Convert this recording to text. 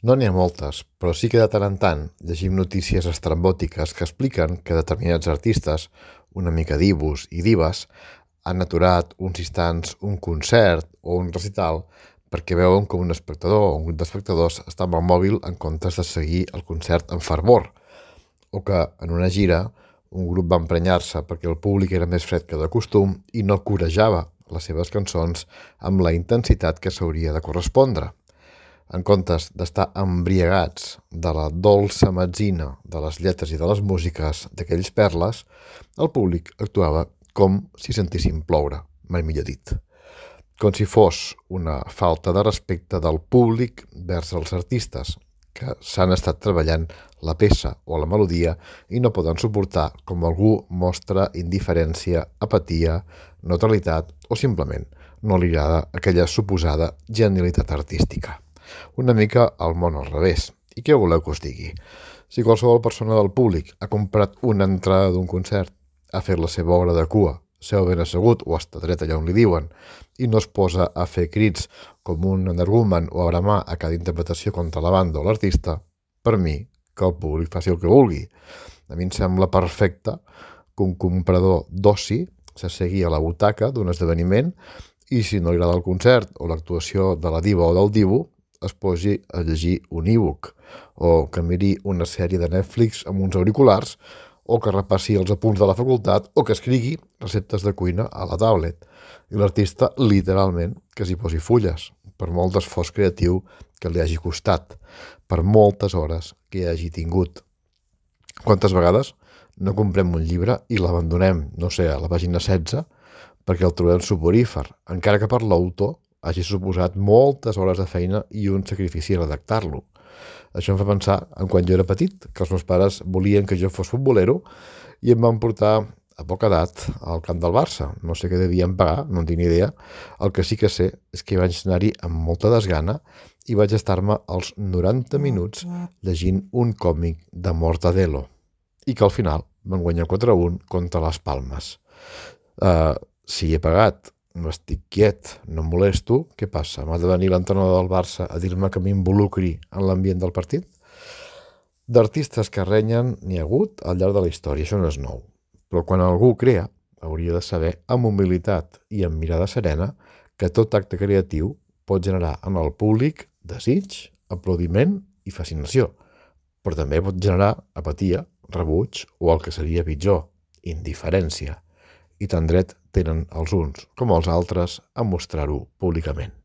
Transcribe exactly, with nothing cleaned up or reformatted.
No n'hi ha moltes, però sí que de tant en tant llegim notícies estrambòtiques que expliquen que determinats artistes, una mica divos i dives, han aturat uns instants un concert o un recital perquè veuen com un espectador o un grup d'espectadors està amb el mòbil en comptes de seguir el concert amb fervor, o que en una gira un grup va emprenyar-se perquè el públic era més fred que de costum i no corejava les seves cançons amb la intensitat que s'hauria de correspondre. En comptes d'estar embriagats de la dolça metzina de les lletres i de les músiques d'aquells perles, el públic actuava com si sentissin ploure, mai millor dit. Com si fos una falta de respecte del públic vers els artistes, que s'han estat treballant la peça o la melodia i no poden suportar com algú mostra indiferència, apatia, neutralitat o simplement no li agrada aquella suposada genialitat artística. Una mica al món al revés. I què voleu que us digui? Si qualsevol persona del públic ha comprat una entrada d'un concert, ha fet la seva hora de cua, seu ben assegut o està dret allà on li diuen, i no es posa a fer crits com un energumen o a bramar a cada interpretació contra la banda o l'artista, per mi, que el públic faci el que vulgui. A mi em sembla perfecte que un comprador d'oci s'assegui a la butaca d'un esdeveniment i si no li agrada el concert o l'actuació de la diva o del divo, es posi a llegir un e-book, o que miri una sèrie de Netflix amb uns auriculars, o que repassi els apunts de la facultat, o que escrigui receptes de cuina a la tablet. I l'artista, literalment, que s'hi posi fulles, per molt esforç creatiu que li hagi costat, per moltes hores que hi hagi tingut. Quantes vegades no comprem un llibre i l'abandonem, no sé, a la pàgina setze, perquè el trobem suporífer, encara que per l'autor hagi suposat moltes hores de feina i un sacrifici redactar-lo. Això em fa pensar en quan jo era petit, que els meus pares volien que jo fos futbolero i em van portar a poca edat al camp del Barça. No sé què devien pagar, no en tinc ni idea. El que sí que sé és que vaig anar-hi amb molta desgana i vaig estar-me els noranta minuts llegint un còmic de Mortadelo i que al final van guanyar quatre a un contra les Palmes. Uh, si he pagat, no estic quiet, no em molesto, què passa? M'ha de venir l'entrenador del Barça a dir-me que m'involucri en l'ambient del partit? D'artistes que renyen n'hi ha hagut al llarg de la història, això no és nou. Però quan algú crea, hauria de saber, amb humilitat i amb mirada serena, que tot acte creatiu pot generar en el públic desig, aplaudiment i fascinació, però també pot generar apatia, rebuig o el que seria pitjor, indiferència. I tant dret tenen els uns com els altres a mostrar-ho públicament.